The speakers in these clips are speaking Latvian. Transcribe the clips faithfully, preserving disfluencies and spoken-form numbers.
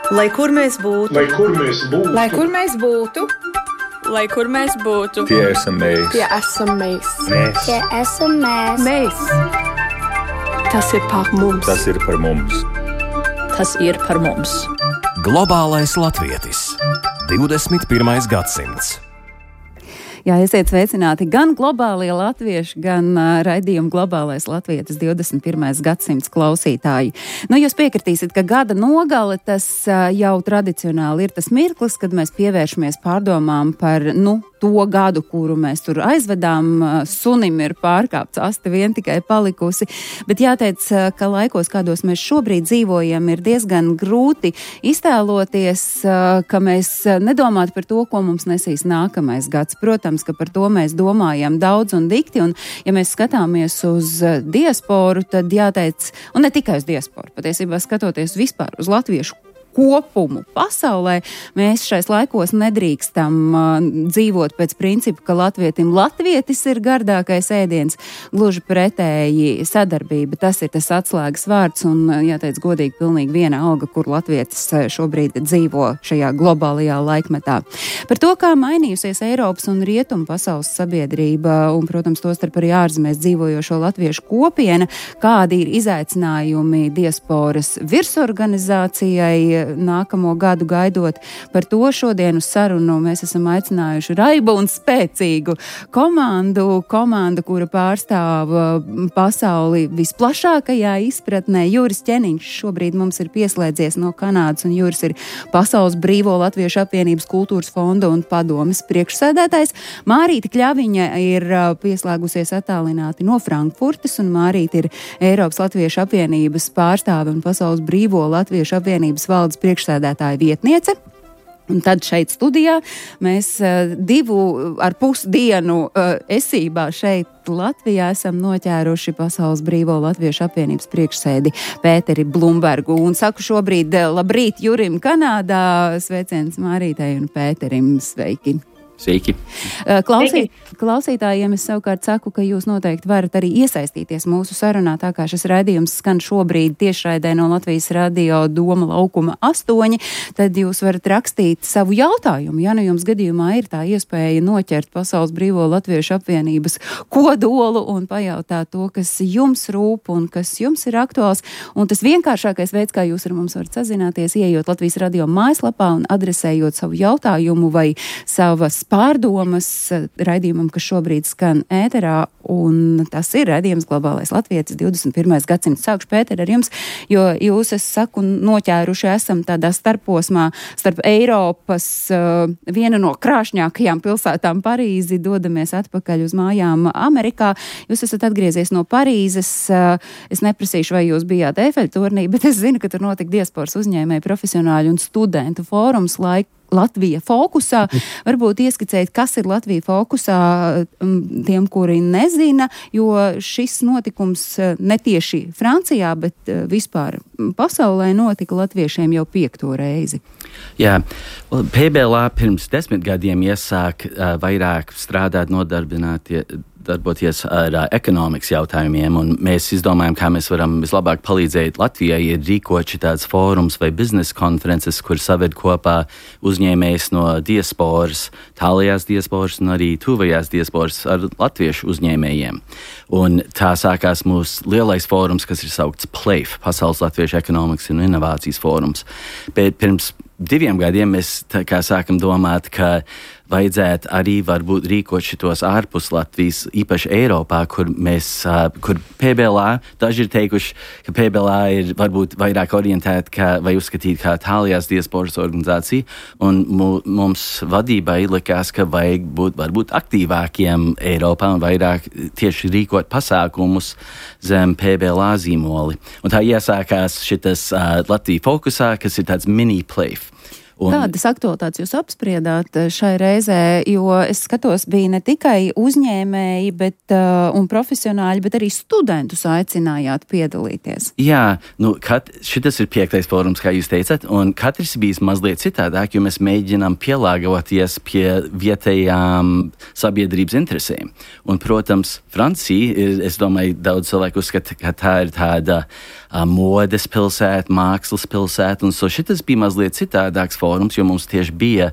Lai kur mēs būtu, lai kur mēs būtu, lai kur mēs būtu, lai kur mēs būtu, tie esam mēs, tie esam mēs, mēs. Tie esam mēs. mēs. Tas ir par mums. Tas ir par mums. Tas ir par mums. Globālais latvietis. divdesmit pirmais gadsimts. Jā, esiet sveicināti gan globālie latvieši, gan uh, raidījuma globālais latvietis divdesmit pirmais gadsimts klausītāji. Nu, jūs piekritīsiet, ka gada nogale tas uh, jau tradicionāli ir tas mirklis, kad mēs pievēršamies pārdomām par, nu, to gadu, kuru mēs tur aizvedām. Sunim ir pārkāpts asti vien tikai palikusi, bet jāteic, ka laikos, kādos mēs šobrīd dzīvojam, ir diezgan grūti iztēloties, ka mēs nedomātu par to, ko mums nesīs nākamais gads. Protams, ka par to mēs domājam daudz un dikti, un ja mēs skatāmies uz diasporu, tad jāteic, un ne tikai uz diasporu, patiesībā skatoties vispār uz latviešu kopumu pasaulē, mēs šais laikos nedrīkstam uh, dzīvot pēc principa, ka latvietim latvietis ir gardākais ēdiens, gluži pretēji sadarbība. Tas ir tas atslēgas vārds un, jāteic, godīgi pilnīgi viena alga, kur latvietis šobrīd dzīvo šajā globālajā laikmetā. Par to, kā mainījusies Eiropas un Rietumu pasaules sabiedrība un, protams, tostarp arī ārzemēs dzīvojošo latviešu kopiena, kādi ir izaicinājumi diasporas virsorganizācijai nākamo gadu gaidot. Par to šodien uz sarunu mēs esam aicinājuši raibu un spēcīgu komandu, komandu, kura pārstāv pasauli visplašākajā izpratnē. Juris Ķeniņš šobrīd mums ir pieslēdzies no Kanādas, un Juris ir Pasaules Brīvo Latviešu apvienības kultūras fonda un padomes priekšsēdētājs. Mārīte Kļaviņa ir pieslēgusies attālināti no Frankfurtes, un Mārīte ir Eiropas Latviešu apvienības pārstāve un Pasaules Brīvo Latviešu apvienības valdes priekšsēdētāja vietniece. Un tad šeit studijā mēs uh, divu ar pusdienu uh, esībā šeit Latvijā esam noķēruši Pasaules Brīvo Latviešu apvienības priekšsēdi Pēteri Blumbergu. Un saku šobrīd labrīt Jurim Kanādā, sveiciens Mārītei un Pēterim, sveiki! Sveiki. Klausīt, klausītājiem es savukārt saku, ka jūs noteikti varat arī iesaistīties mūsu sarunā, tā kā šis raidījums skan šobrīd tiešraidē no Latvijas radio Doma laukuma astoņi, tad jūs varat rakstīt savu jautājumu. Ja nu jums gadījumā ir tā iespēja noķert Pasaules Brīvo Latviešu apvienības kodolu un pajautāt to, kas jums rūp un kas jums ir aktuāls. Un tas vienkāršākais veids, kā jūs ar mums varat sazināties, ieejot Latvijas radio mājaslapā un adresējot savu jautājumu vai savas pārdomas raidījumam, kas šobrīd skan ēterā, un tas ir raidījums Globālais latvietis divdesmit pirmais gadsimts. Sākšu, Pēter, ar jums, jo jūs, es saku, noķēruši esam tādā starposmā starp Eiropas uh, viena no krāšņākajām pilsētām Parīzi, dodamies atpakaļ uz mājām Amerikā. Jūs esat atgriezies no Parīzes, uh, es neprasīšu, vai jūs bijāt Eifeļturnī, bet es zinu, ka tur notika diasporas uzņēmēji, profesionāļu un studentu fórums laika Latvija fokusā. Varbūt ieskicēt, kas ir Latvija fokusā tiem, kuri nezina, jo šis notikums netieši Francijā, bet vispār pasaulē notika latviešiem jau piekto reizi. Jā, P B L A pirms desmit gadiem iesāk uh, vairāk strādāt nodarbinātie darboties ar uh, ekonomikas jautājumiem, un mēs izdomājam, kā mēs varam vislabāk palīdzēt Latvijai, ir rīkot šitāds fórums vai biznesa konferences, kur saved kopā uzņēmējs no diasporas, tālajās diasporas un arī tuvajās diasporas ar latviešu uzņēmējiem. Un tā sākās mūsu lielais fórums, kas ir saukts P L A I F, Pasaules Latviešu ekonomikas un inovācijas fórums. Bet pirms diviem gadiem mēs tā kā sākam domāt, ka vajadzētu arī varbūt rīkot šitos ārpus Latvijas, īpaši Eiropā, kur mēs, kur P B L A, daži ir teikuši, ka P B L A ir varbūt vairāk orientēta kā, vai uzskatīt kā tālajās diasporas organizācija, un mums vadībai likās, ka vajag būt varbūt aktīvākiem Eiropā un vairāk tieši rīkot pasākumus zem P B L A zīmoli. Un tā iesākās šitas uh, Latvija fokusā, kas ir tāds mini P L A I F. Un... Kādas aktualitātes jūs apspriedāt šai reizē, jo es skatos, bija ne tikai uzņēmēji bet, uh, un profesionāļi, bet arī studentus aicinājāt piedalīties. Jā, nu, kat, šitas ir piektais fórums, kā jūs teicat, un katrs bijis mazliet citādāk, jo mēs mēģinām pielāgoties pie vietējām sabiedrības interesēm. Un, protams, Francija ir, es domāju, daudz cilvēku uzskata, ka tā ir tāda uh, modes pilsētu, mākslas pilsētu. Un so šitas bija mazliet citādāks fórums, jo mums tieši bija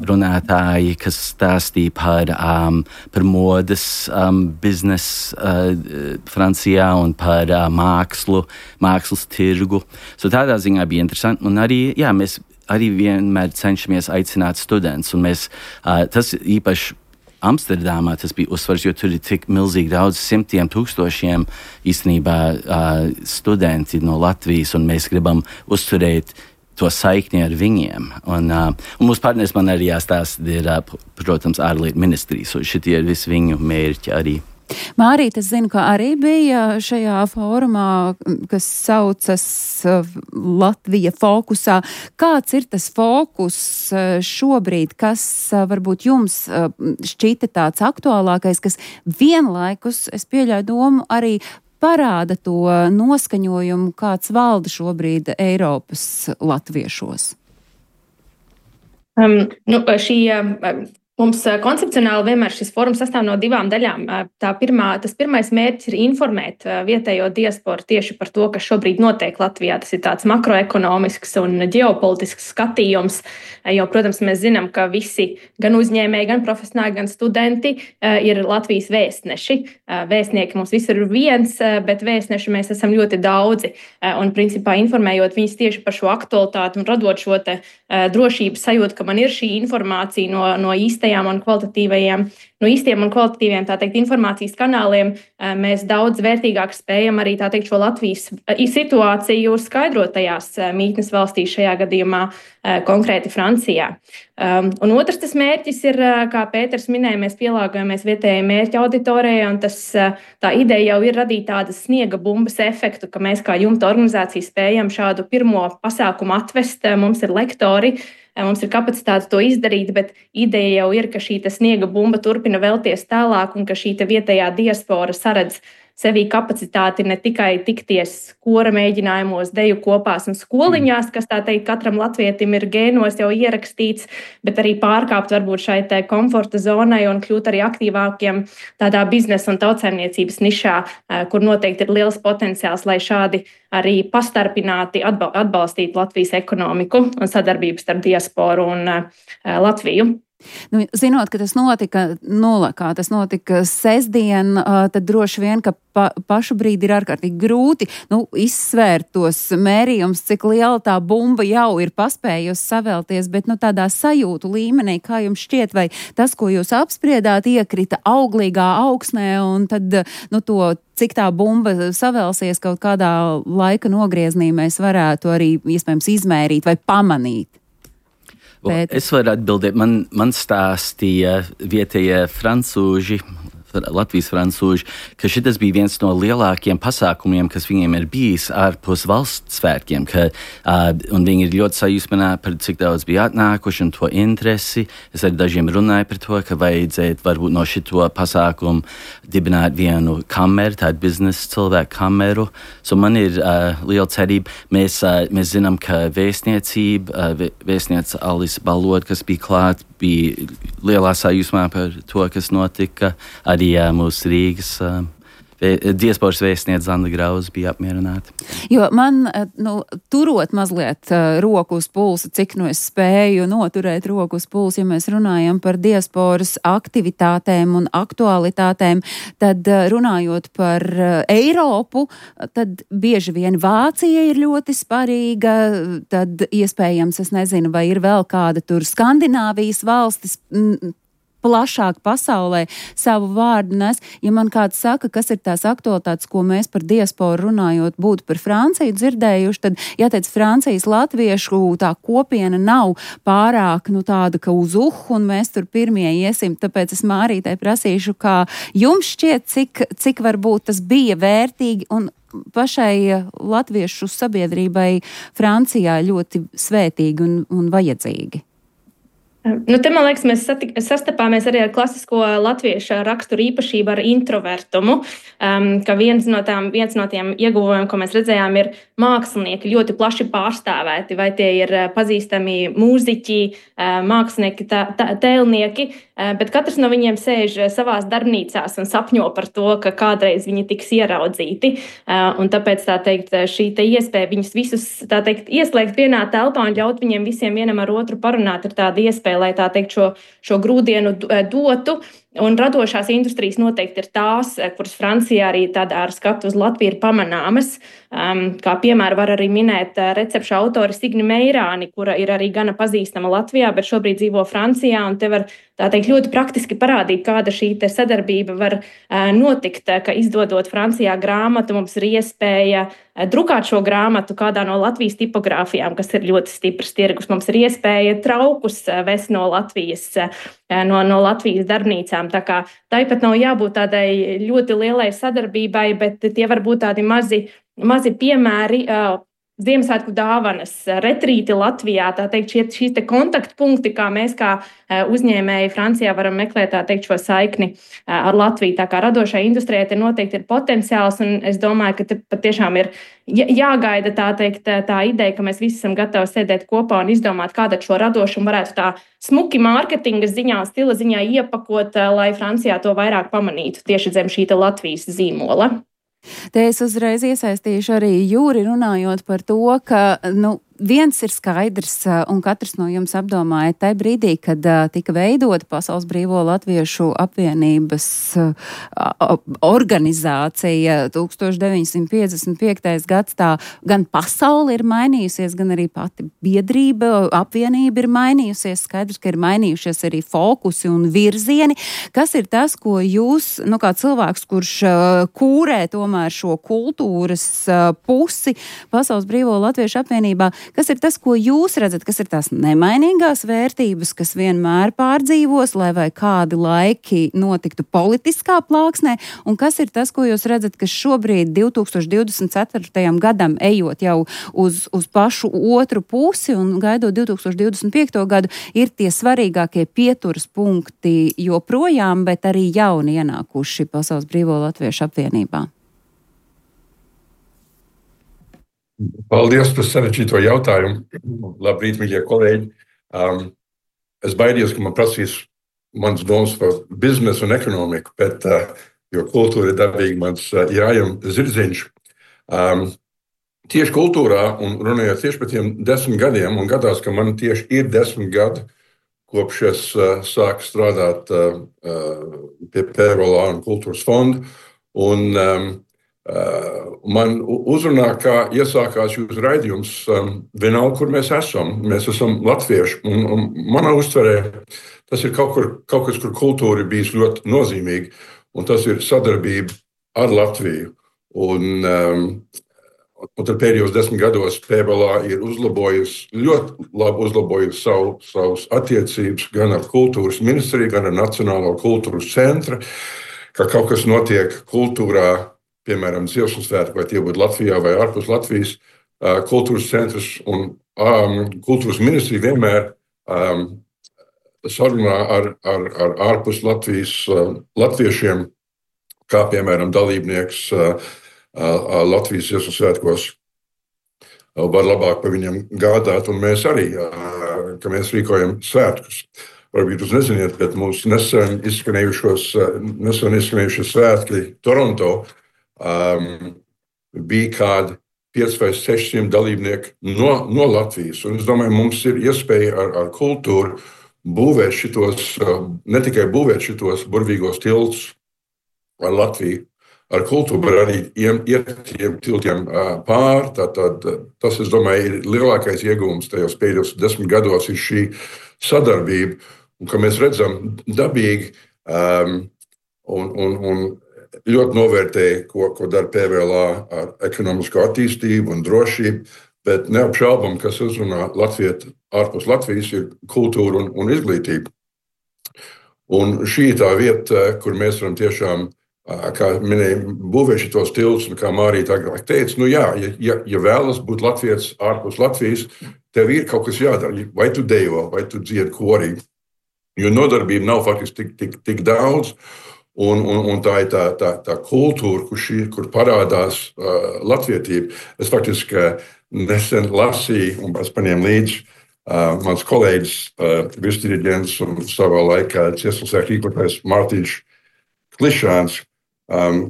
runātāji, kas stāstīja par, um, par modes um, biznesu uh, Francijā un par uh, mākslu, mākslas tirgu. So tādā ziņā bija interesanti. Un arī, jā, mēs arī vienmēr cenšamies aicināt studentus. Un mēs, uh, tas īpaši Amsterdamā tas bija uzsvars, jo tur ir tik milzīgi daudz simtiem tūkstošiem īstenībā uh, studenti no Latvijas, un mēs gribam uzturēt to saikni ar viņiem. Un, uh, un mūsu partneris man arī jāstāsta, ir, uh, protams, ārlietu ministrijas, un šitie ir visi viņu mērķi arī. Mārīt, es zinu, ka arī bija šajā fórumā, kas saucas Latvija fokusā. Kāds ir tas fokus šobrīd, kas varbūt jums šķita tāds aktuālākais, kas vienlaikus, es pieļauju domu, arī parāda to noskaņojumu, kāds valda šobrīd Eiropas latviešos? Um, nu, šī... Um, Mums koncepcionāli vienmēr šis fórums sastāv no divām daļām. Tā pirmā, tas pirmais mērķis ir informēt vietējo diasporu tieši par to, kas šobrīd notiek Latvijā. Tas ir tāds makroekonomisks un ģeopolitisks skatījums, jo, protams, mēs zinām, ka visi gan uzņēmēji, gan profesionāļi, gan studenti ir Latvijas vēstneši. Vēstnieki mums visur ir viens, bet vēstneši mēs esam ļoti daudzi. Un, principā, informējot viņus tieši par šo aktualitāti un radot šo te drošības sajūtu, ka man ir šī informācija no, no īsta un kvalitatīvajiem, no īstiem un kvalitatīviem, tā teikt, informācijas kanāliem, mēs daudz vērtīgāk spējam arī, tā teikt, šo Latvijas situāciju skaidrot tajās mītnes valstīs, šajā gadījumā konkrēti Francijā. Un otrs tas mērķis ir, kā Pēters minēja, mēs pielāgojamies vietējai mērķa auditorijai, un tas, tā ideja jau ir radīt tādas sniega bumbas efektu, ka mēs kā jumta organizācija spējam šādu pirmo pasākumu atvest, mums ir lektori, mums ir kapacitāte to izdarīt, bet ideja jau ir, ka šī sniega bumba turpina vēlties tālāk un ka šī vietējā diaspora saredz sevī kapacitāti ne tikai tikties kora mēģinājumos, deju kopās un skoliņās, kas tā teikt katram latvietim ir gēnos jau ierakstīts, bet arī pārkāpt varbūt šai te komforta zonai un kļūt arī aktīvākiem tādā biznesa un tautsēmniecības nišā, kur noteikti ir liels potenciāls, lai šādi arī pastarpināti atbalstītu Latvijas ekonomiku un sadarbību starp diasporu un Latviju. Nu, zinot, ka tas notika nulakā, tas notika sestdien, tad droši vien, ka pa, pašu brīdi ir ārkārtīgi grūti nu, izsvērt tos mērījums, cik liela tā bumba jau ir paspējusi savēlties, bet nu, tādā sajūtu līmenī, kā jums šķiet, vai tas, ko jūs apspriedāt, iekrita auglīgā augsnē, un tad nu, to, cik tā bumba savēlsies kaut kādā laika nogrieznī, mēs varētu arī iespējams izmērīt vai pamanīt. Bet... Es varu atbildēt, man, man stāstīja vietējie francūži, Latvijas francūži, ka šitas bija viens no lielākiem pasākumiem, kas viņiem ir bijis ārpus valsts svētkiem, ka, uh, un viņi ir ļoti sajūsmināti par cik daudz bija atnākuši un to interesi. Es ar dažiem runāju par to, ka vajadzētu varbūt no šito pasākumu dibināt vienu kameru, tādu biznesa cilvēku kameru. So man ir uh, liela cerība. Mēs, uh, mēs zinām, ka vēstniecība, uh, vēstniece Alisa Balot, kas bija klāt, bija lielā sajūsmā par to, kas notika. Arī jā, mūsu Rīgas uh, diasporas vēstniece Zanda Grauza bija apmierināta. Jo man, nu, turot mazliet uh, roku uz pulsa, cik nu es spēju noturēt roku uz pulsa, ja mēs runājam par diasporas aktivitātēm un aktualitātēm, tad uh, runājot par uh, Eiropu, tad bieži vien Vācija ir ļoti sparīga, tad iespējams, es nezinu, vai ir vēl kāda tur Skandināvijas valstis, m, plašāk pasaulē savu vārdu nes. Ja man kāds saka, kas ir tās aktualitātes, ko mēs par diasporu runājot būtu par Franciju dzirdējuši, tad jāteic, Francijas latviešu tā kopiena nav pārāk nu, tāda, ka uz uhu, un mēs tur pirmie iesim. Tāpēc es Mārītai prasīšu, kā jums šķiet, cik, cik varbūt tas bija vērtīgi un pašai latviešu sabiedrībai Francijā ļoti svētīgi un, un vajadzīgi. Nu, te, man liekas, mēs satik, sastapāmies arī ar klasisko latviešu raksturu īpašību ar introvertumu, um, ka viens no, tām, viens no tiem ieguvumiem, ko mēs redzējām, ir mākslinieki ļoti plaši pārstāvēti, vai tie ir pazīstami mūziķi, mākslinieki, tā, tā, tēlnieki, bet katrs no viņiem sēž savās darbnīcās un sapņo par to, ka kādreiz viņi tiks ieraudzīti, un tāpēc, tā teikt, šī te iespēja viņus visus, tā teikt, ieslēgt vienā telpā un ļaut viņiem visiem vienam ar otru parunāt, ir tāda iespēja, lai tā teikt šo, šo grūdienu dotu. Un radošās industrijas noteikti ir tās, kuras Francijā arī tādā ar skatu uz Latviju ir pamanāmas. Um, kā piemēru var arī minēt recepšu autori Signi Meirāni, kura ir arī gana pazīstama Latvijā, bet šobrīd dzīvo Francijā, un te var tā teikt ļoti praktiski parādīt, kāda šī te sadarbība var uh, notikt, ka izdodot Francijā grāmatu, mums ir iespēja uh, drukāt šo grāmatu kādā no Latvijas tipogrāfijām, kas ir ļoti stiprs tirgus. Mums ir iespēja traukus uh, vest no Latvijas, uh, no, no Latvijas darbnīcām. Tā kā tāpat nav jābūt tādai ļoti lielai sadarbībai, bet tie var būt tādi mazi, mazi piemēri, uh, Ziemassvētku dāvanas, retrīti Latvijā, tā teikt, šie, šīs te kontaktpunkti, kā mēs kā uh, uzņēmēji Francijā varam meklēt, tā teikt, šo saikni uh, ar Latviju. Tā kā radošai industrijai te noteikti ir potenciāls, un es domāju, ka te patiešām ir jāgaida tā teikt, tā ideja, ka mēs visi esam gatavi sēdēt kopā un izdomāt, kāda šo radošumu varētu tā smuki mārketinga ziņā, stila ziņā iepakot, lai Francijā to vairāk pamanītu tieši zem šī Latvijas zīmola. Te es uzreiz iesaistīšu arī Jūri runājot par to, ka, nu, viens ir skaidrs, un katrs no jums apdomāja tajā brīdī, kad uh, tika veidota Pasaules Brīvo Latviešu apvienības uh, organizācija tūkstoš deviņsimt piecdesmit piektais gads, tā gan pasaule ir mainījusies, gan arī pati biedrība, apvienība ir mainījusies. Skaidrs, ka ir mainījušies arī fokusi un virzieni. Kas ir tas, ko jūs, nu, kā cilvēks, kurš uh, kūrē tomēr šo kultūras uh, pusi Pasaules Brīvo Latviešu apvienībā, kas ir tas, ko jūs redzat, kas ir tās nemainīgās vērtības, kas vienmēr pārdzīvos, lai vai kādi laiki notiktu politiskā plāksnē, un kas ir tas, ko jūs redzat, kas šobrīd divtūkstoš divdesmit ceturtajam gadam ejot jau uz, uz pašu otru pusi un gaidot divtūkstoš divdesmit piekto gadu, ir tie svarīgākie pieturas punkti joprojām, bet arī jauni ienākuši Pasaules Brīvo Latviešu apvienībā? Paldies par sarežģīto jautājumu. Labrīt, mīļie kolēģi. Um, es baidījos, ka man prasīs mans domas par biznesu un ekonomiku, bet, uh, jo kultūra ir dabīgi mans uh, jājam zirdziņš. Um, tieši kultūrā, un runājot tieši par tiem desmit gadiem, un gadās, ka man tieši ir desmit gadi, kopš es uh, sāku strādāt uh, uh, pie P V L A un kultūras fonda, un um, Uh, man uzrunā, kā iesākās jūsu raidījums, um, vienalga, kur mēs esam. Mēs esam latvieši, un, un manā uztverē tas ir kaut, kur, kaut kas, kur kultūra ir bijis ļoti nozīmīga, un tas ir sadarbība ar Latviju. Un, um, un tad pēdējos desmit gados P V L A ir uzlabojusi, ļoti labi uzlabojusi savu, savus attiecības gan ar kultūras ministriju, gan ar Nacionālo kultūras centru, ka kaut kas notiek kultūrā, piemēram, Ziemassvētku, vai tie būtu Latvijā vai ārpus Latvijas, kultūras centrs un um, kultūras ministrija vienmēr um, sarunā ar, ar, ar ārpus Latvijas uh, latviešiem, kā piemēram dalībnieks uh, uh, Latvijas Ziemassvētkos uh, var labāk par viņiem gādāt, un mēs arī, uh, ka mēs rīkojam svētkus. Varbūt jūs neziniet, bet mūsu nesen izskanējušos, nesen izskanējušos svētki Toronto Um, bija kādi pieci vai seši dalībnieki no, no Latvijas. Un es domāju, mums ir iespēja ar, ar kultūru būvēt šitos, ne tikai būvēt šitos burvīgos tiltus ar Latviju, ar kultūru, bet arī iet tiem tiltiem pār. Tātad, tas, es domāju, ir lielākais ieguvums tajos pēdējos desmit gados ir šī sadarbība, un ka mēs redzam dabīgi um, un, un, un ļoti novērtēju, ko, ko dara P V L A ar ekonomisko attīstību un drošību, bet neapšaubam, kas uzrunā Latvietu ārpus Latvijas, ir kultūra un, un izglītība. Un šī ir tā vieta, kur mēs varam tiešām, kā minēja, būvēt šitos tiltus, un kā Mārīta agrāk teica, nu jā, ja, ja vēlas būt latvietis ārpus Latvijas, tev ir kaut kas jādara. Vai tu dejo, vai tu dziedi korī, jo nodarbība nav faktiski tik, tik, tik daudz. Un, un, un tā ir tā, tā, tā kultūra, kur, šī, kur parādās uh, latvietība. Es faktiski uh, nesen lasīju, un es paņēmu līdzi uh, mans kolēģis, uh, virsdiriģents un savā laikā Cieslasēk rīkotājs Mārtiņš Klišāns. Um,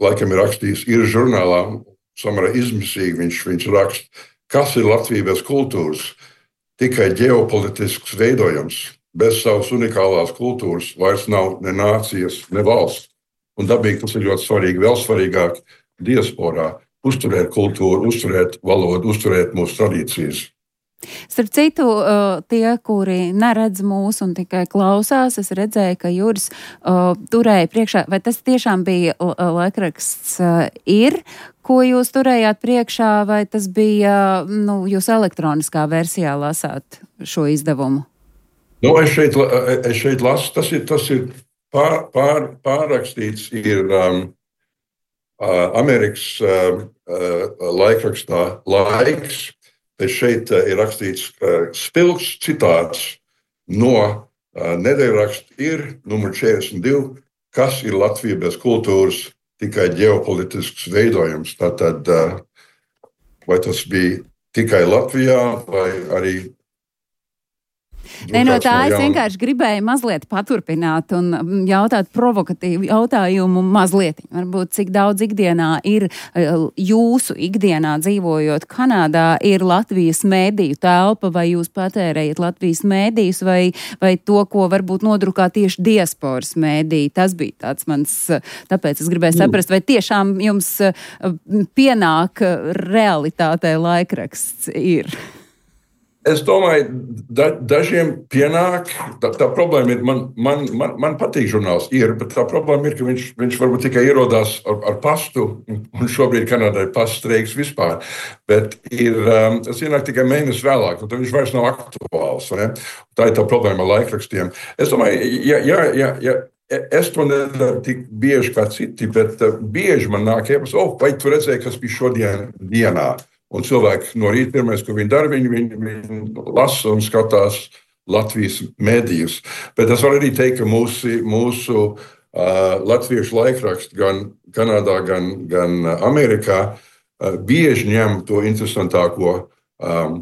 laikam ir rakstījis, ir žurnālā, samērā izmisīgi viņš, viņš raksta, kas ir Latvija bez kultūras, tikai ģeopolitisks veidojums. Bez savas unikālās kultūras vairs nav ne nācijas, ne valsts. Un dabīgi tas ir ļoti svarīgi, vēl svarīgāk diasporā uzturēt kultūru, uzturēt valodu, uzturēt mūsu tradīcijas. Starp citu, tie, kuri neredz mūs un tikai klausās, es redzēju, ka Juris uh, turēja priekšā, vai tas tiešām bija laikraksts uh, ir, ko jūs turējāt priekšā, vai tas bija, nu, jūs elektroniskā versijā lasāt šo izdevumu? Nu, es šeit, es šeit lasu, tas ir, tas ir pār, pār, pārrakstīts, ir um, uh, Amerikas uh, uh, laikrakstā Laiks. Te šeit uh, ir rakstīts uh, spilgts citāts no uh, nedēļraksta ir numur četrdesmit divi, kas ir Latvija bez kultūras, tikai ģeopolitisks veidojums. Tātad, uh, vai tas bija tikai Latvijā, vai arī Nē, no tā es vienkārši gribēju mazliet paturpināt un jautāt provokatīvu jautājumu mazliet. Varbūt cik daudz ikdienā ir jūsu ikdienā dzīvojot Kanādā ir Latvijas mēdīju telpa, vai jūs patērējat Latvijas mēdījus, vai, vai to, ko varbūt nodrukā tieši diasporas mēdīji. Tas bija tāds mans, tāpēc es gribēju saprast, vai tiešām jums pienāk realitātei laikraksts ir. Es domāju, da, dažiem pienāk, tā, tā problēma ir, man, man, man, man patīk žurnāls ir, bet tā problēma ir, ka viņš, viņš varbūt tikai ierodās ar, ar pastu, un šobrīd Kanādā ir paststreiks vispār, bet ir, um, tas ienāk tikai mēnesi vēlāk, un tad viņš vairs nav aktuāls, ne? Tā ir tā problēma ar laikrakstiem. Es domāju, ja, ja, ja, ja es to nedaru tik bieži kā citi, bet uh, bieži man nāk iepas, oh, vai tu redzēji, kas bija šodien dienā? Un cilvēki no rīta pirmais, ko viņi dara, viņi, viņi, viņi lasa un skatās Latvijas mēdījus. Bet es varu arī teikt, ka mūsu, mūsu uh, latviešu laikraksti gan Kanādā, gan, gan Amerikā uh, bieži ņem to interesantāko um,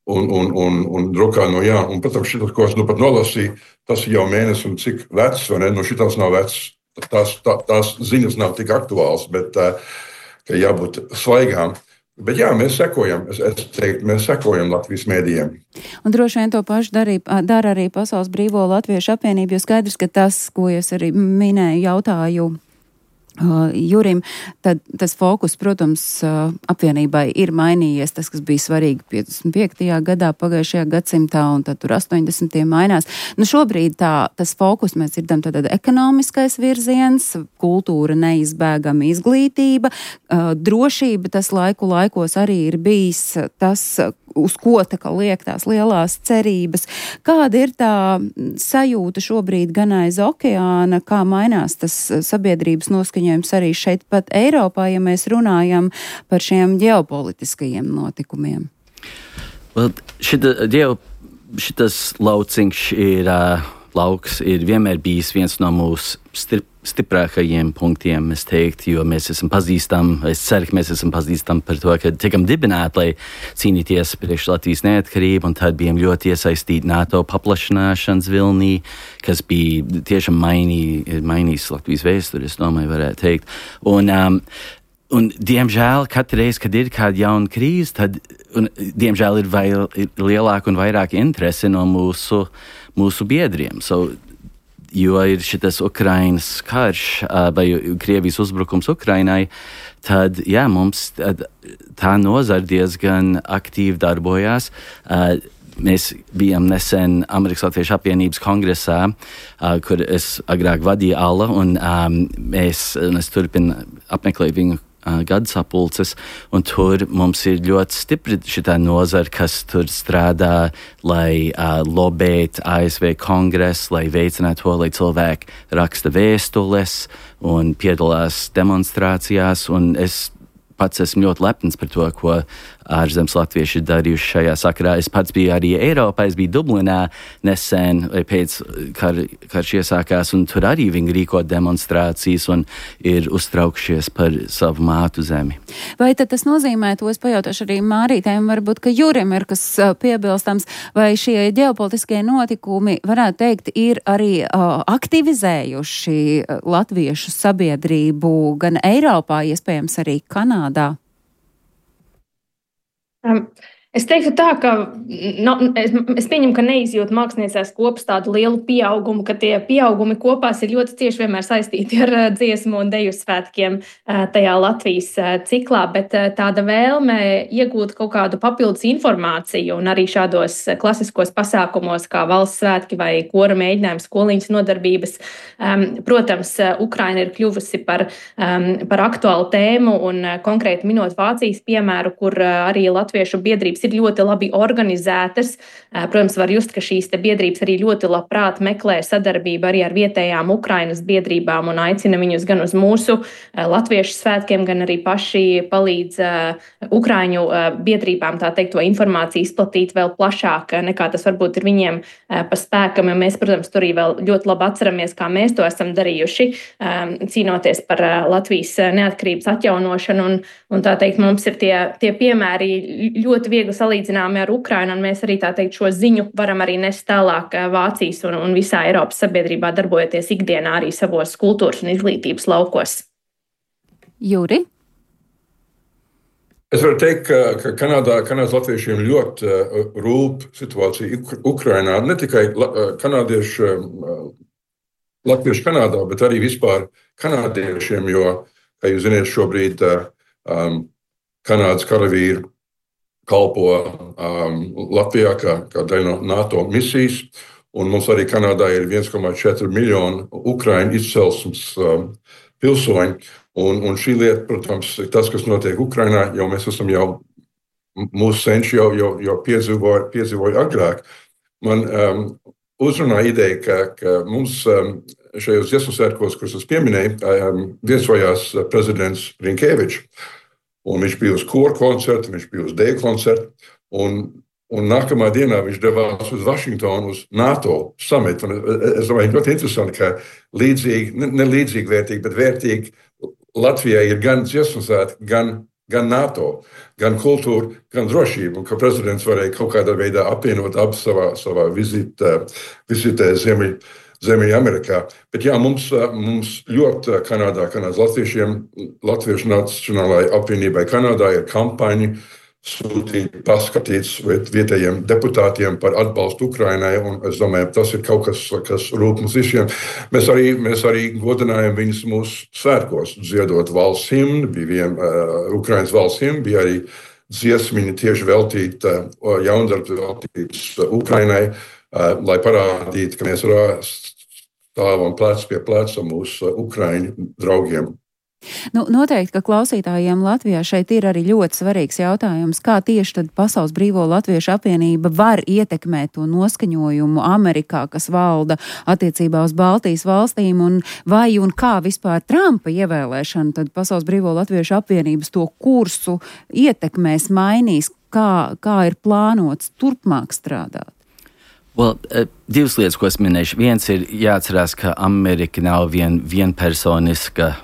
un, un, un, un drukā no jā. Un, protams, šitas, ko es nu pat nolasīju, tas ir jau mēnesis un cik vecs, vai ne? Nu, šitas nav vecs, tās, tā, tās ziņas nav tik aktuāls, bet uh, ka jābūt svaigām. Bet jā, mēs sekojam, es, es teiktu, mēs sekojam Latvijas mēdījiem. Un droši vien to pašu darīja, dara arī Pasaules Brīvo Latviešu apvienība, jo skaidrs, ka tas, ko es arī minēju, jautāju Uh, Jurim, tad tas fokus, protams, uh, apvienībai ir mainījies, tas, kas bija svarīgi piecdesmit piektajā gadā, pagājušajā gadsimtā, un tad tur astoņdesmitajā mainās. Nu, šobrīd tā, tas fokus mēs dzirdam tad ekonomiskais virziens, kultūra neizbēgama izglītība, uh, drošība, tas laiku laikos arī ir bijis tas, uz ko tā kā liek tās lielās cerības. Kāda ir tā sajūta šobrīd gan aiz okeāna, kā mainās tas sabiedrības noskaņojums arī šeit pat Eiropā, ja mēs runājam par šiem ģeopolitiskajiem notikumiem? Well, šita, ģeo, šitas lauciņš ir, uh, lauks ir vienmēr bijis viens no mūsu stip, stiprākajiem punktiem, es teiktu, jo mēs esam pazīstami, es ceru, ka mēs esam pazīstami par to, ka tikam dibināti, lai cīnīties priekš Latvijas neatkarību, un tad bijām ļoti iesaistīti NATO paplašināšanas vilnī, kas bija tiešām mainī, mainījis Latvijas vēsturi, es domāju, varētu teikt. Un, um, un diemžēl, katru reizi, kad ir kāda jauna krīze, tad, un, diemžēl, ir, vair, ir lielāka un vairāk interese no mūsu, mūsu biedriem. So, jo ir šitas Ukrainas karš vai Krievijas uzbrukums Ukrainai, tad, jā, mums tad, tā nozara diezgan aktīvi darbojās. Mēs bijām nesen Amerikas Latviešu apvienības kongresā, kur es agrāk vadīju Ala, un mēs, un es turpinu apmeklēt viņu gada sapulces, un tur mums ir ļoti stipri šitā nozara, kas tur strādā, lai uh, lobētu A S V kongresu, lai veicinātu to, lai cilvēki raksta vēstules un piedalās demonstrācijās, un es pats esmu ļoti lepns par to, ko ārzemes latvieši ir darījuši šajā sakarā. Es pats biju arī Eiropā, es biju Dublinā nesen, pēc kar, karš iesākās, un tur arī viņi rīko demonstrācijas un ir uztraukšies par savu mātu zemi. Vai tad tas nozīmē, to es pajautāšu arī Mārītēm, varbūt, ka Jurim ir kas piebilstams, vai šie ģeopolitiskie notikumi, varētu teikt, ir arī uh, aktivizējuši latviešu sabiedrību gan Eiropā, iespējams arī Kanādā? Um. Es teiktu tā, ka no, es, es pieņemu, ka neizjūt māksliniecās kopas tādu lielu pieaugumu, ka tie pieaugumi kopās ir ļoti cieši vienmēr saistīti ar dziesmu un deju svētkiem tajā Latvijas ciklā, bet tāda vēlme iegūt kaut kādu papildus informāciju un arī šādos klasiskos pasākumos kā valsts svētki vai kora mēģinājums, skoliņas nodarbības. Protams, Ukraina ir kļuvusi par, par aktuālu tēmu un konkrēti minot Vācijas piemēru, kur arī latviešu biedrības ir ļoti labi organizētas. Protams, var just, ka šīs te biedrības arī ļoti labprāt meklē sadarbību arī ar vietējām Ukrainas biedrībām un aicina viņus gan uz mūsu latviešu svētkiem, gan arī paši palīdz Ukraiņu biedrībām, tā teikt, to informāciju izplatīt vēl plašāk, nekā tas varbūt ir viņiem pa spēkam. Ja mēs, protams, tur arī vēl ļoti labi atceramies, kā mēs to esam darījuši, cīnoties par Latvijas neatkarības atjaunošanu. Un, un tā teikt, mums ir tie, tie piemēri ļoti viegli salīdzināmi ar Ukrainu, un mēs arī tā teikt šo ziņu varam arī nest tālāk Vācijas un, un visā Eiropas sabiedrībā, darbojoties ikdienā arī savos kultūras un izglītības laukos. Juri? Es varu teikt, ka, ka Kanādā, Kanādas latviešiem ļoti uh, rūp situācija Ukrainā, ne tikai la, kanādiešu, uh, latviešu Kanādā, bet arī vispār kanādiešiem, jo, kā jūs ziniet, šobrīd uh, um, Kanādas karavīri kalpo um, Latvijā kā, kā daļa no NATO misijas, un mums arī Kanādā ir viens komats četri miljoni Ukraiņu izcelsmes um, pilsoņi, un, un šī lieta, protams, tas, kas notiek Ukrainā, jau mēs esam jau, mūsu senči jau, jau, jau piedzīvoja, piedzīvoja agrāk. Man um, uzrunā ideja, ka, ka mums um, šajos dziesmu svētkos, kurus es pieminēju, um, viesojās prezidents Rinkēvičs. Un viņš bija uz koru koncertu, viņš bija uz deju koncertu, un, un nākamā dienā viņš devās uz Vašingtonu, uz NATO samitu. Es domāju, ļoti interesanti, ka līdzīgi, ne, ne līdzīgi vērtīgi, bet vērtīgi Latvijai ir gan dziesmu svētki, gan, gan NATO, gan kultūra, gan drošība, un ka prezidents varēja kaut kādā veidā apvienot abas savā, savā vizitē, vizitē Ziemeļ. Ziemeļamerikā. Bet jā, mums, mums ļoti Kanādā, Kanādas latviešiem, Latviešu Nacionālajai apvienībai Kanādā ir kampaņa sūtīt paskatīts vietējiem deputātiem par atbalstu Ukrainai, un es domāju, tas ir kaut kas, kas rūp mums visiem. Mēs arī, mēs arī godinājam viņus mūsu svētkos, dziedot valsts himnu, bija vien uh, Ukrainas valsts himnu, bija arī dziesmiņa tieši veltīta, uh, jaundarbs veltīts uh, Ukrainai, uh, lai parādītu, ka mēs stāvam plec pie pleca mūsu Ukraiņu draugiem. Nu, noteikti, ka klausītājiem Latvijā šeit ir arī ļoti svarīgs jautājums, kā tieši tad Pasaules Brīvo Latviešu apvienība var ietekmēt to noskaņojumu Amerikā, kas valda attiecībā uz Baltijas valstīm, un vai un kā vispār Trumpa ievēlēšana tad Pasaules Brīvo Latviešu apvienības to kursu ietekmēs, mainīs, kā, kā ir plānots turpmāk strādāt? Well, uh, divas lietas, ko es minēšu. Viens ir jāatcerās, ka Amerika nav vien, vienpersoniska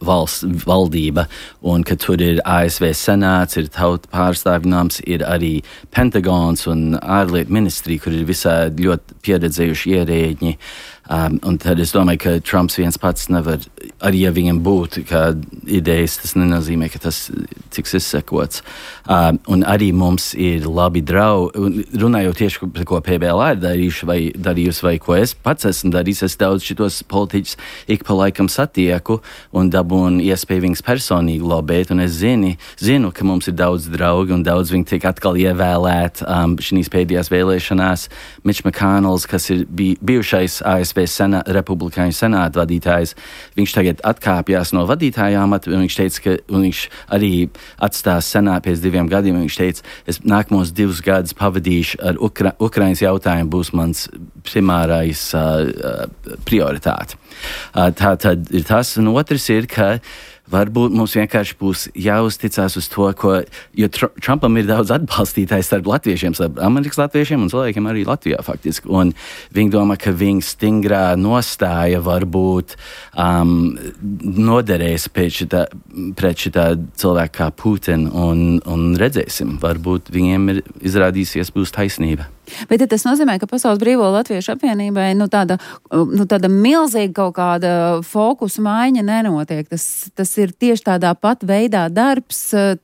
valsts valdība, un ka tur ir A S V senāts, ir tauta pārstāvināms, ir arī Pentagons un ārlietu ministrija, kur ir visādi ļoti pieredzējuši ierēģi. Um, un tad es domāju, ka Trumps viens pats nevar, arī ja viņam būtu kā idejas, tas nenozīmē, ka tas tiks izsekots. Um, un arī mums ir labi draugi, un runājot tieši par ko P B L A ir darījuši vai darījusi, vai ko es pats esmu darījis, es daudz šitos politiķus ik pa laikam satieku un dabūnu iespēju viņus personīgi lobēt, un es zini, zinu, ka mums ir daudz draugi, un daudz viņi tiek atkal ievēlēt um, šīs pēdējās vēlēšanās. Mitch McConnells, kas ir bij, bijušais A S V Senā, republikāņu senāta vadītājs, viņš tagad atkāpjās no vadītāja amata, un viņš teica, ka un viņš arī atstās senātu pēc diviem gadiem, un viņš teica, es nākamos divus gadus pavadīšu ar Ukra- Ukrainas jautājumu, būs mans primārais uh, uh, prioritāte. Uh, tā tad ir tas, un otrs ir, ka varbūt mums vienkārši būs jāuzticās uz to, ko, jo tr- Trumpam ir daudz atbalstītājs starp latviešiem, starp Amerikas latviešiem un cilvēkiem arī Latvijā faktiski. Un viņi domā, ka viņa stingrā nostāja varbūt um, noderēs pret šitā, pret šitā cilvēka kā Putina un, un redzēsim, varbūt viņiem ir izrādīsies būs taisnība. Bet tas nozīmē, ka Pasaules Brīvo Latviešu apvienībai nu, tāda, nu, tāda milzīga kaut kāda fokusa maiņa nenotiek. Tas, tas ir tieši tādā pat veidā darbs,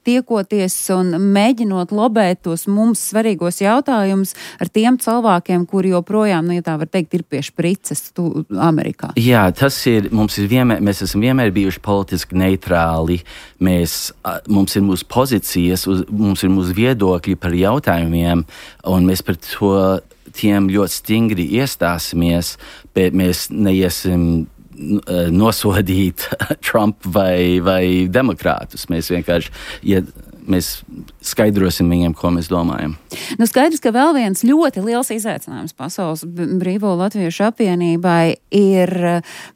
tiekoties un mēģinot lobēt tos mums svarīgos jautājumus ar tiem cilvēkiem, kuri joprojām, nu, ja tā var teikt, ir pie šprices tu, Amerikā. Jā, tas ir, mums ir vienmēr, mēs esam vienmēr bijuši politiski neitrāli. Mēs, mums ir mūsu pozīcijas, uz, mums ir mūsu viedokļi par jautājumiem, un mēs par to tiem ļoti stingri iestāsimies, bet mēs neiesim nosodīt Trump vai, vai demokrātus. Mēs vienkārši iet, mēs skaidrosim viņiem, ko mēs domājam. Nu, skaidrs, ka vēl viens ļoti liels izaicinājums Pasaules Brīvo Latviešu apvienībai ir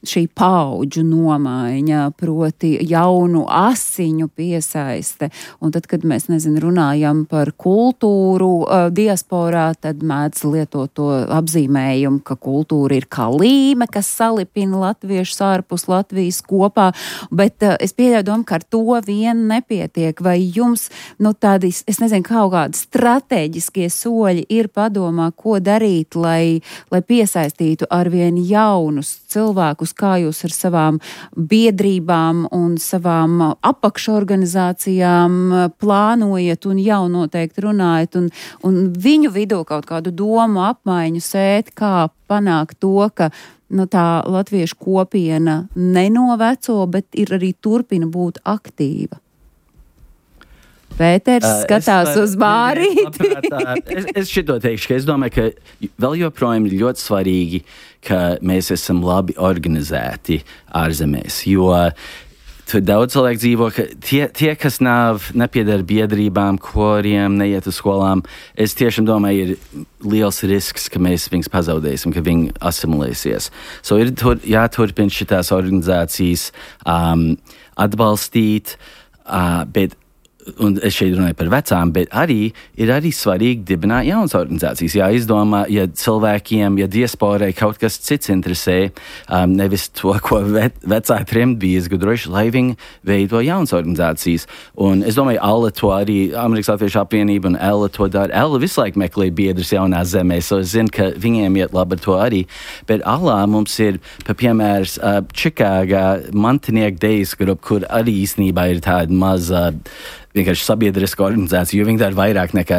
šī paudžu nomaiņa, proti jaunu asiņu piesaiste. Un tad, kad mēs, nezinu, runājam par kultūru uh, diasporā, tad mēdz lietot to apzīmējumu, ka kultūra ir kā līme, kas salipina latviešus ārpus Latvijas kopā. Bet uh, es pieļauju domu, ka ar to vien nepietiek. Vai jums, nu, tādi, es nezinu, kaut kādi stratēģiskie soļi ir padomā, ko darīt, lai, lai piesaistītu arvien jaunus cilvēkus, kā jūs ar savām biedrībām un savām apakšorganizācijām plānojat un jau noteikti runājat un, un viņu vidū kaut kādu domu apmaiņu sēt, kā panākt to, ka nu, tā latviešu kopiena nenoveco, bet ir arī turpina būt aktīva. Pēters uh, skatās var, uz Mārīti. es, es šito teikšu, ka es domāju, ka vēl joprojām ir ļoti svarīgi, ka mēs esam labi organizēti ārzemēs, jo tur daudz cilvēku dzīvo, ka tie, tie kas nav, nepiedara biedrībām, koriem, neiet uz skolām, es tiešām domāju, ir liels risks, ka mēs viņus pazaudēsim, ka viņi asimilēsies. So ir tur, jāturpina šitās organizācijas um, atbalstīt, uh, bet un es šeit runāju par vecām, bet arī ir arī svarīgi dibināt jaunas organizācijas. Jā, izdomā, ja cilvēkiem, ja diasporai kaut kas cits interesē, um, nevis to, ko ve, vecā trimdi bija izgudrojuši, lai viņi veido jaunas organizācijas. Un es domāju, Alla to arī, Amerikas Latviešu apvienība un Ella to dara. Ella visu laiku meklē biedrus jaunās zemēs, so es zinu, ka viņiem iet labi ar to arī. Bet Allā mums ir, pa piemērs, uh, Čikāgā Mantinieku Days grupa, kur arī īstenībā ir tāda maza vienkārši sabiedriska organizācija, jo viņi dara vairāk nekā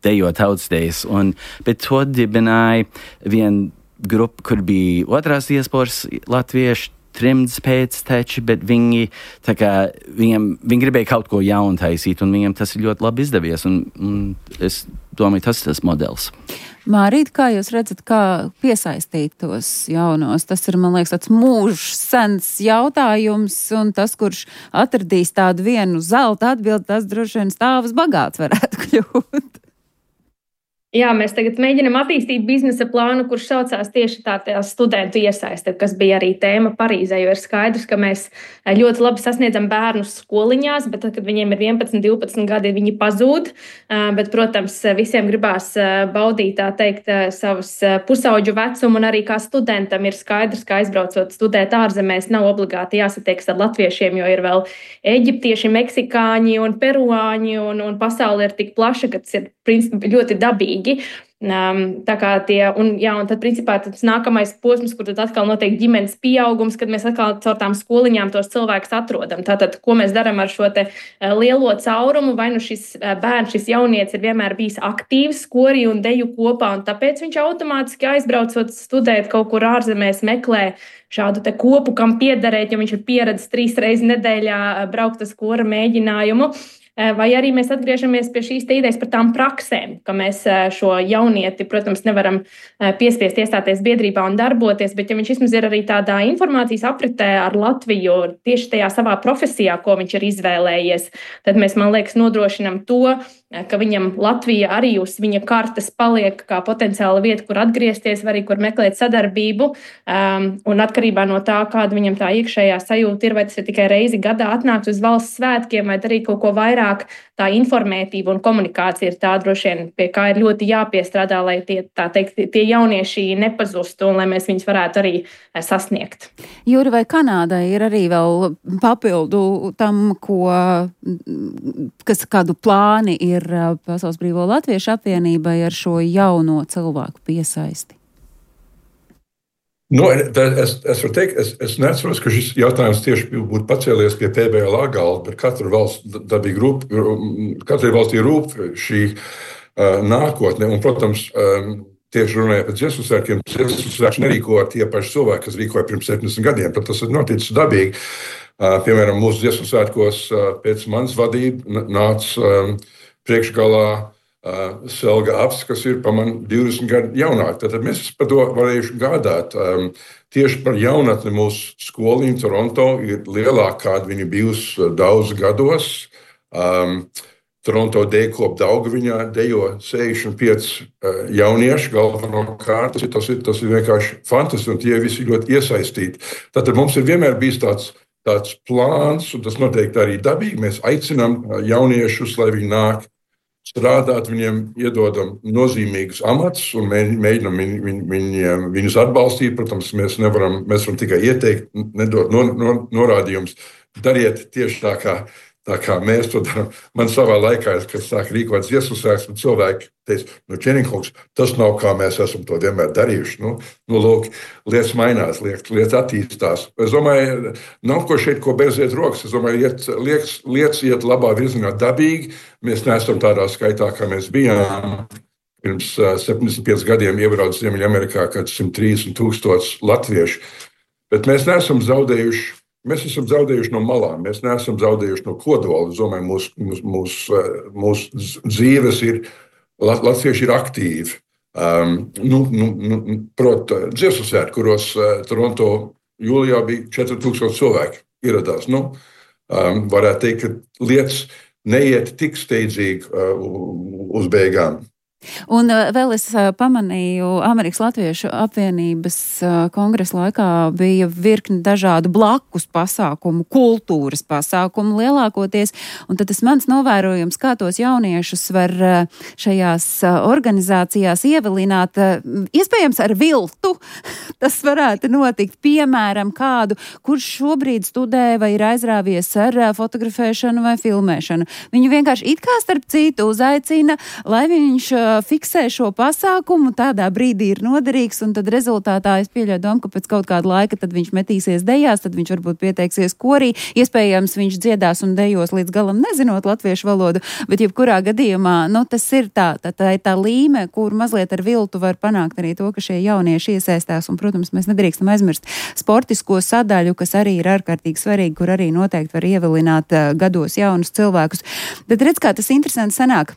dejo tautsdejas. Un, bet to dibināja viena grupa, kur bija otrās diasporas latvieši, trimds pēcteči, bet viņi, tā kā, viņiem, viņi gribēja kaut ko jaunu taisīt, un viņiem tas ir ļoti labi izdevies. Un, un es domāju, tas ir tas modelis. Mārīt, kā jūs redzat, kā piesaistīt tos jaunos? Tas ir, man liekas, tāds mūžs sens jautājums, un tas, kurš atradīs tādu vienu zelta atbildi, tas droši vien stāvs bagāts varētu kļūt. Jā, mēs tagad mēģinam attīstīt biznesa plānu, kurš saucās tieši tā, tā studentu iesaiste, kas bija arī tēma Parīzē, jo ir skaidrs, ka mēs ļoti labi sasniedzam bērnus skoliņās, bet tad, kad viņiem ir vienpadsmit, divpadsmit gadi, viņi pazūd. Bet, protams, visiem gribās baudīt, tā teikt, savus pusauģu vecumu, un arī kā studentam ir skaidrs, ka aizbraucot studēt ārzemēs nav obligāti jāsatieks ar latviešiem, jo ir vēl eģiptieši, meksikāņi un peruāņi, un, un pasaule ir tik plaša, ka tas ir principā ļoti dabīgi. Um, tā kā tie, un, jā, un tad principā tas nākamais posms, kur tad atkal notiek ģimenes pieaugums, kad mēs atkal caur tām skoliņām tos cilvēkus atrodam. Tātad, ko mēs darām ar šo te lielo caurumu, vai nu šis bērns, šis jaunietis ir vienmēr bijis aktīvs skori un deju kopā, un tāpēc viņš automātiski aizbraucot studēt kaut kur ārzemēs meklē šādu te kopu, kam piederēt, jo viņš ir pieredzis trīs reizes nedēļā braukt uz skora mēģinājumu. vai arī mēs atgriežamies pie šīs idejas par tām praksēm, ka mēs šo jaunieti, protams, nevaram piespiest iestāties biedrībā un darboties, bet ja viņš vismaz ir arī tādā informācijas apritē ar Latviju tieši tajā savā profesijā, ko viņš ir izvēlējies, tad mēs, man liekas, nodrošinam to, ka viņam Latvija arī uz viņa kartes paliek kā potenciāla vieta, kur atgriezties, vai arī kur meklēt sadarbību. Um, un atkarībā no tā, kāda viņam tā iekšējā sajūta ir, vai tas ir tikai reizi gadā atnākt uz valsts svētkiem, vai darīt kaut ko vairāk, tā informētība un komunikācija ir tā droši vien, pie kā ir ļoti jāpiestrādā, lai tie, tā teikt, tie jaunieši nepazustu un lai mēs viņus varētu arī sasniegt. Jūri, vai Kanādai ir arī vēl papildu tam, ko, kas kādu plāni ir Pasaules Brīvo Latviešu apvienībai ar šo jauno cilvēku piesaisti? Nu, es, es varu teikt, es, es neatceros, ka šis jautājums tieši būtu pacēlies pie P B L A galda, bet katra valsts dabīgi rūp, katrai valstī rūp šī uh, nākotne. Un, protams, um, tieši runājot par dziesmu svētkiem, dziesmu svētkus nerīko tie paši cilvēki, kas rīkoja pirms septiņdesmit gadiem, tad tas ir noticis dabīgi. Uh, piemēram, mūsu dziesmu svētkos uh, pēc manas vadība nāca um, priekšgalā uh, Selga Aps, kas ir pa man divdesmit gadu jaunāk. Tad mēs par to varējuši gādāt. Um, tieši par jaunatni mūsu skoliņa Toronto ir lielāka, kāda viņa bijusi daudz gados. Um, Toronto dejkop Daugaviņā dejo sešdesmit pieci uh, jaunieši galvenokārt. Tas, tas, ir, tas ir vienkārši fantastiski, un tie visi ļoti iesaistīti. Tātad mums ir vienmēr bijis tāds tāds plāns, un tas noteikti arī dabīgi. Mēs aicinām jauniešus, lai viņi nāk strādāt, viņiem iedodam nozīmīgus amatus un mēģinam viņ, viņ, viņ, viņus atbalstīt. Protams, mēs nevaram, mēs varam tikai ieteikt, nedot no, no, norādījumus. Dariet tieši tā kā, tā kā mēs to darām. Man savā laikā, kad sāk rīkot dziesmu svētkus, cilvēki teica, nu, Čeninkungs, tas nav kā mēs esam to vienmēr darījuši. Nu, nu lūk, lietas mainās, lietas, lietas attīstās. Es domāju, nav ko šeit, ko beidziet rokas. Es domāju, iet, lietas, lietas iet labā virzienā dabīgi. Mēs neesam tādā skaitā, kā mēs bijām. Pirms uh, septiņdesmit pieciem gadiem iebrauc Ziemeļamerikā, kad simt trīsdesmit tūkstoši latviešu. Bet mēs neesam zaudējuši. Mēs esam zaudējuši no malām, mēs neesam zaudējuši no kodola. Es domāju, mūsu mūs, mūs, mūs dzīves ir, latvieši ir aktīvi. Um, nu, nu, nu, Proti, dziesmu svētki, kuros uh, Toronto jūlijā bija četri tūkstoši cilvēki ieradās. Nu, um, varētu teikt, ka lietas neiet tik steidzīgi uh, uz beigām. Un uh, vēl es uh, pamanīju, Amerikas Latviešu apvienības uh, kongresa laikā bija virkni dažādu blakus pasākumu, kultūras pasākumu lielākoties, un tad tas mans novērojums, kā tos jauniešus var uh, šajās uh, organizācijās ievilināt, uh, iespējams ar viltu, tas varētu notikt, piemēram, kādu, kurš šobrīd studē vai ir aizrāvies ar uh, fotografēšanu vai filmēšanu. Viņu vienkārši it kā starp citu uzaicina, lai viņš uh, fiksē šo pasākumu, tādā brīdī ir noderīgs, un tad rezultātā es pieļauju domu, ka pēc kaut kāda laika tad viņš metīsies dejās, tad viņš varbūt pieteiksies korī, iespējams viņš dziedās un dejos līdz galam nezinot latviešu valodu, bet jebkurā gadījumā, nu tas ir tā, tā, tā ir tā līme, kur mazliet ar viltu var panākt arī to, ka šie jaunieši iesaistās, un, protams, mēs nedrīkstam aizmirst sportisko sadaļu, kas arī ir ārkārtīgi svarīgi, kur arī noteikti var ievilināt uh, gados jaunus cilvēkus. Bet redz, kā tas interesanti sanāk.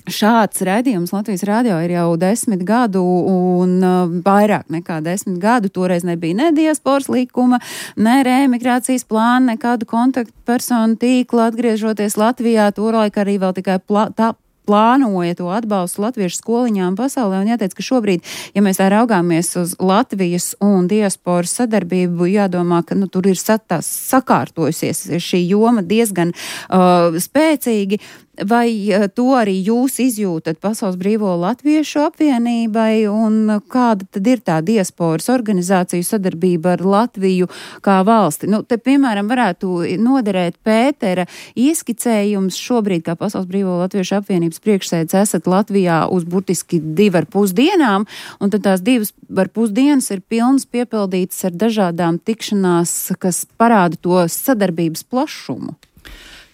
Šāds raidījums Latvijas radio ir jau desmit gadu un uh, vairāk nekā desmit gadu. Toreiz nebija ne diasporas likuma, ne reemigrācijas plāna, nekādu kontaktpersonu tīklu atgriežoties Latvijā. Tolaik arī vēl tikai plā, tā, plānoja to atbalstu latviešu skoliņām pasaulē, un jāteic, ka šobrīd, ja mēs tā raugāmies uz Latvijas un diasporas sadarbību, jādomā, ka nu, tur ir satās, sakārtojusies šī joma diezgan uh, spēcīgi. Vai uh, to arī jūs izjūtat Pasaules Brīvo Latviešu apvienībai, un kāda tad ir tā diasporas organizāciju sadarbība ar Latviju kā valsti? Nu, te, piemēram, varētu noderēt Pētera ieskicējums šobrīd, kā Pasaules Brīvo Latviešu apvienības priekšsēdis esat Latvijā uz burtiski divi ar pus dienām, un tad tās divas ar pus dienas ir pilnas piepildītas ar dažādām tikšanās, kas parāda to sadarbības plašumu.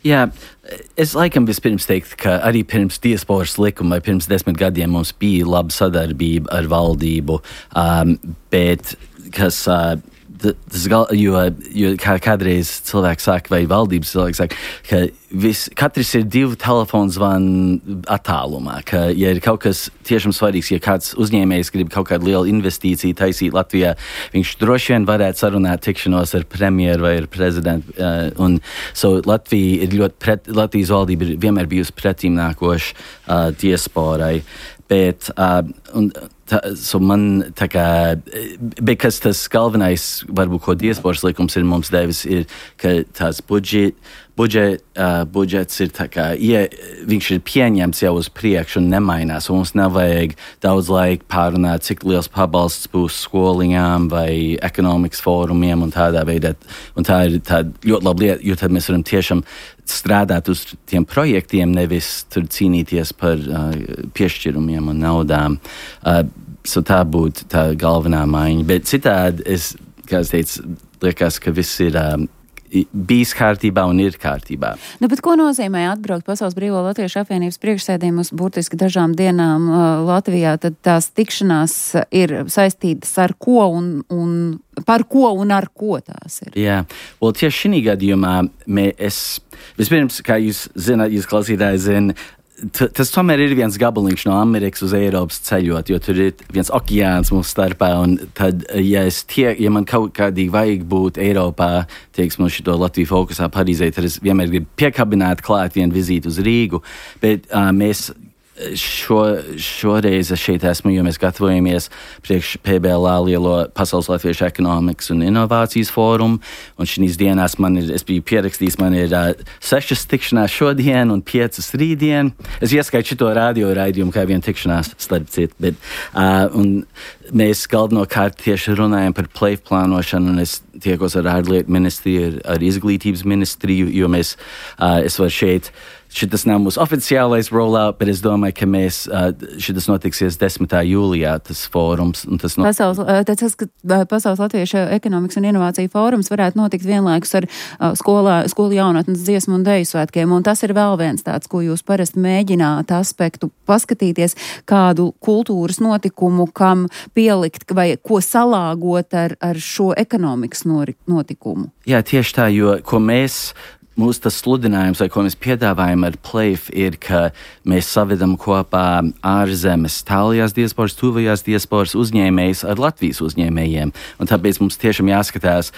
Jā, es laikam vispirms teiktu, ka arī pirms diasporas likuma vai pirms desmit gadiem mums bija laba sadarbība ar valdību, um, bet kas uh, tas gal, jo, jo kā kādreiz cilvēks saka, vai valdības cilvēks saka, ka vis, katrs ir divu telefonu zvanu attālumā, ka, ja ir kaut kas tiešām svarīgs, ja kāds uzņēmējs grib kaut kādu lielu investīciju taisīt Latvijā, viņš droši vien varētu sarunāt tikšanos ar premjeru vai ar prezidentu. Uh, un so Latvija ir ļoti pret, Latvijas valdība ir vienmēr bijusi pretīmnākoša uh, diasporai, bet uh, un, Tā, so man tā kā, bet kas tas galvenais, varbūt, ko diasporas likums ir mums devis, ir, ka tās budžet, budžet, uh, budžets ir tā kā, ja viņš ir pieņemts jau uz priekšu un nemainās, un mums nevajag daudz laika pārunāt, cik liels pabalsts būs skoliņām vai ekonomikas fórumiem un tādā veidā. Un tā ir tāda ļoti laba lieta, jo tad mēs varam tiešām strādāt uz tiem projektiem, nevis tur cīnīties par uh, piešķirumiem un naudām. Uh, so tā būtu tā galvenā maiņa. Bet citādi, es, kā es teicu, liekas, ka viss ir um, bijis kārtībā un ir kārtībā. Nu, bet ko nozīmē atbraukt Pasaules Brīvo Latviešu apvienības priekšsēdījiem uz burtiski dažām dienām uh, Latvijā? Tad tās tikšanās ir saistītas ar ko un, un par ko un ar ko tās ir? Jā, well, tieši šī gadījumā mē, es, vispirms, kā jūs zināt, jūs klausītāji zina, T- tas tomēr ir viens gabaliņš no Amerikas uz Eiropas ceļot, jo tur ir viens okeāns mūsu starpā, un tad, ja, es tie, ja man kaut kādīgi vajag būt Eiropā, teiksim, šito Latviju fokusā Parīzē, tad es vienmēr gribu piekabināt klāt vienu vizīti uz Rīgu, bet uh, mēs Šo, šoreiz es šeit esmu, jo mēs gatavojamies priekš P B L A lielo Pasaules Latviešu ekonomikas un inovācijas fórumu, un šīs dienās man ir, es biju pierakstījis, man ir uh, sešas tikšanās šodien un piecas rītdien. Es ieskaitu šito radio raidījumu kā vienu tikšanās starp citu, bet uh, un mēs galvenokārt tieši runājam par plēju plānošanu, un es tiekos ar ārlietu ministriju, ar, ar izglītības ministriju, jo mēs, uh, es varu šeit Šitas nav mūsu oficiālais rollout, bet es domāju, ka mēs, šitas notiksies desmitā jūlijā, tas fórums. Tas no... Pasaules, tas, ka Pasaules Latviešu ekonomikas un inovāciju fórums varētu notikt vienlaikus ar skolā, skolu jaunatnes dziesmu un deju svētkiem, un tas ir vēl viens tāds, ko jūs parasti mēģināt aspektu paskatīties, kādu kultūras notikumu, kam pielikt vai ko salāgot ar, ar šo ekonomikas notikumu. Jā, tieši tā, jo ko mēs... Mūsu tas sludinājums, vai ko mēs piedāvājam ar Plēf, ir, ka mēs savedam kopā ārzemes tālajās diasporas, tuvajās diasporas uzņēmējus ar Latvijas uzņēmējiem. Un tāpēc mums tiešām jāskatās,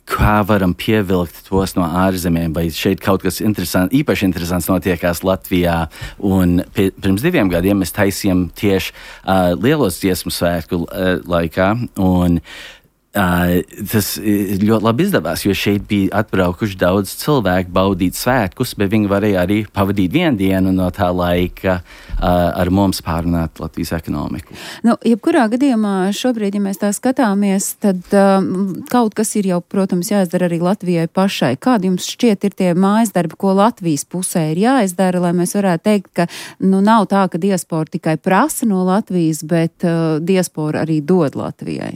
kā varam pievilkt tos no ārzemēm, vai šeit kaut kas interesants, īpaši interesants notiekās Latvijā. Un pirms diviem gadiem mēs taisījām tieši uh, lielos dziesmu svētku uh, laikā, un Uh, tas ļoti labi izdevās, jo šeit bija atbraukuši daudz cilvēku baudīt svētkus, bet viņi varēja arī pavadīt vienu dienu no tā laika uh, ar mums pārunāt Latvijas ekonomiku. Nu, jebkurā gadījumā šobrīd, ja mēs tā skatāmies, tad um, kaut kas ir jau, protams, jāizdara arī Latvijai pašai. Kādi jums šķiet ir tie mājas darbi, ko Latvijas pusē ir jāizdara, lai mēs varētu teikt, ka nu, nav tā, ka diaspora tikai prasa no Latvijas, bet uh, diaspora arī dod Latvijai?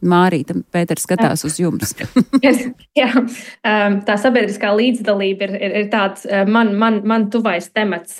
Mārīta, Pēters skatās uz jums. Jā, tā sabiedriskā līdzdalība ir, ir, ir tāds man, man, man tuvais temats,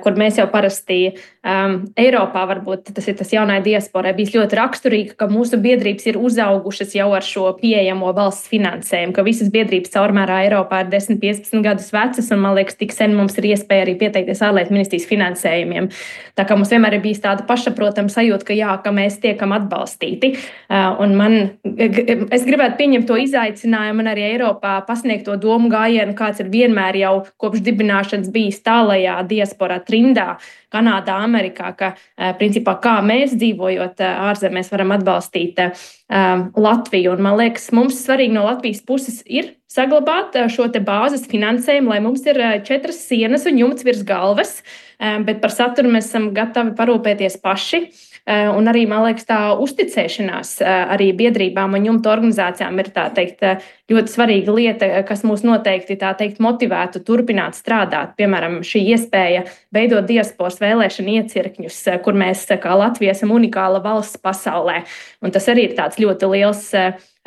kur mēs jau parasti um, Eiropā varbūt tas ir tas jaunai diasporai bijis ļoti raksturīgi, ka mūsu biedrības ir uzaugušas jau ar šo pieejamo valsts finansējumu, ka visas biedrības caurmērā Eiropā ir desmit piecpadsmit gadus vecas, un man liekas, tik sen mums ir iespēja arī pieteikties ārlietu ministrijas finansējumiem. Tā kā mums vienmēr ir bijis tāda pašsaprotama sajūta, ka jā, ka mēs tiekam atbalstīti. Uh, Un man, es gribētu pieņemt to izaicinājumu un arī Eiropā pasniegt to domu gājienu, kāds ir vienmēr jau kopš dibināšanas bijis tālajā diasporā trindā, Kanādā, Amerikā, ka principā kā mēs dzīvojot ārzemēs varam atbalstīt um, Latviju. Un man liekas, mums svarīgi no Latvijas puses ir saglabāt šo te bāzes finansējumu, lai mums ir četras sienas un jumts virs galvas, um, bet par saturu mēs esam gatavi parūpēties paši. Un arī, man liekas, tā uzticēšanās arī biedrībām un jumta organizācijām ir tā teikt ļoti svarīga lieta, kas mūs noteikti tā teikt motivētu turpināt strādāt. Piemēram, šī iespēja veidot diasporas vēlēšanu iecirkņus, kur mēs kā Latvija esam unikāla valsts pasaulē. Un tas arī ir tāds ļoti liels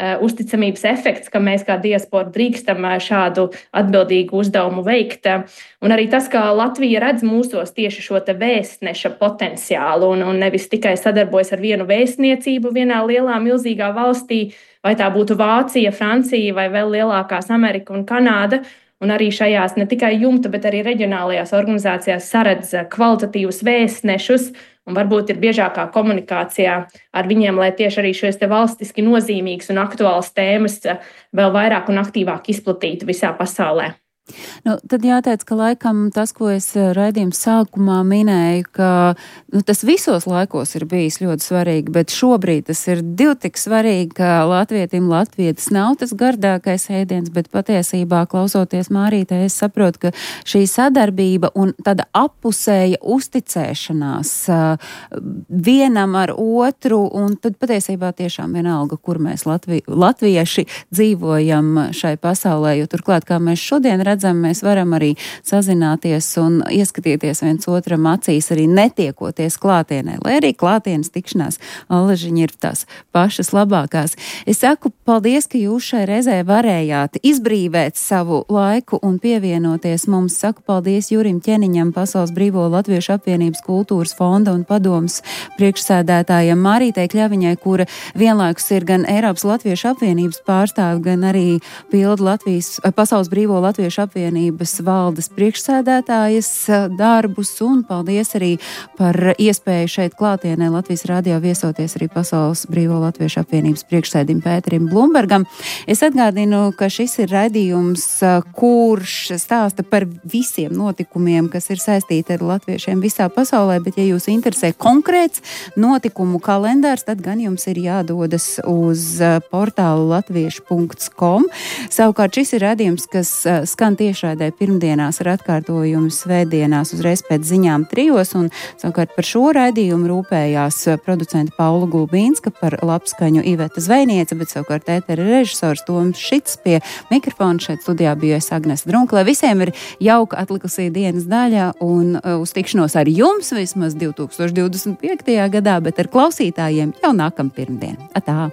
uzticamības efekts, ka mēs kā diaspora drīkstam šādu atbildīgu uzdevumu veikt. Un arī tas, ka Latvija redz mūsos tieši šo te vēstneša potenciālu un, un nevis tikai sadarbojas ar vienu vēstniecību vienā lielā, milzīgā valstī, vai tā būtu Vācija, Francija vai vēl lielākās Amerika un Kanāda. Un arī šajās ne tikai jumta, bet arī reģionālajās organizācijās saredz kvalitatīvus vēstnešus un varbūt ir biežākā komunikācijā ar viņiem, lai tieši arī šīs te valstiski nozīmīgas un aktuālas tēmas vēl vairāk un aktīvāk izplatītu visā pasaulē. Nu, tad jāteic, ka laikam tas, ko es raidījuma sākumā minēju, ka nu, tas visos laikos ir bijis ļoti svarīgi, bet šobrīd tas ir divi tik svarīgi, ka latvietim latvietis nav tas gardākais ēdiens, bet patiesībā, klausoties Mārītē, es saprotu, ka šī sadarbība un tāda appusēja uzticēšanās vienam ar otru, un tad patiesībā tiešām vienalga, kur mēs Latvi, latvieši dzīvojam šai pasaulē, jo turklāt, kā mēs šodien redzam, mēs varam arī sazināties un ieskatīties viens otram acīs, arī netiekoties klātienē, lai arī klātienes tikšanās allažiņi ir tās pašas labākās. Es saku paldies, ka jūs šai reizē varējāt izbrīvēt savu laiku un pievienoties mums. Saku paldies Jurim Ķeniņam, Pasaules Brīvo Latviešu apvienības kultūras fonda un padomas priekšsēdētājam, Mārītei Kļaviņai, kura vienlaikus ir gan Eiropas Latviešu apvienības pārstāve, gan arī pilda Latvijas, Pasaules Brīvo Latviešu apvienības valdes priekšsēdētājas darbus, un paldies arī par iespēju šeit klātienē Latvijas radio viesoties arī Pasaules Brīvo Latviešu apvienības priekšsēdim Pēterim Blumbergam. Es atgādinu, ka šis ir raidījums, kurš stāsta par visiem notikumiem, kas ir saistīti ar latviešiem visā pasaulē, bet ja jūs interesē konkrēts notikumu kalendārs, tad gan jums ir jādodas uz portālu latviešu punkts com. Savukārt šis ir raidījums, kas skan tiešraidē pirmdienās ar atkārtojumu svētdienās uzreiz pēc ziņām trijos, un savukārt par šo raidījumu rūpējās producenta Paula Gulbīnska, par labskaņu Iveta Zvejniece, bet savukārt ētera režisors Toms Šits, pie mikrofona šeit studijā bija es Agnese Drunka, lai visiem ir jauka atlikusī dienas daļa un uz tikšanos ar jums vismaz divi tūkstoši divdesmit piektajā gadā, bet ar klausītājiem jau nākam pirmdien. Atā!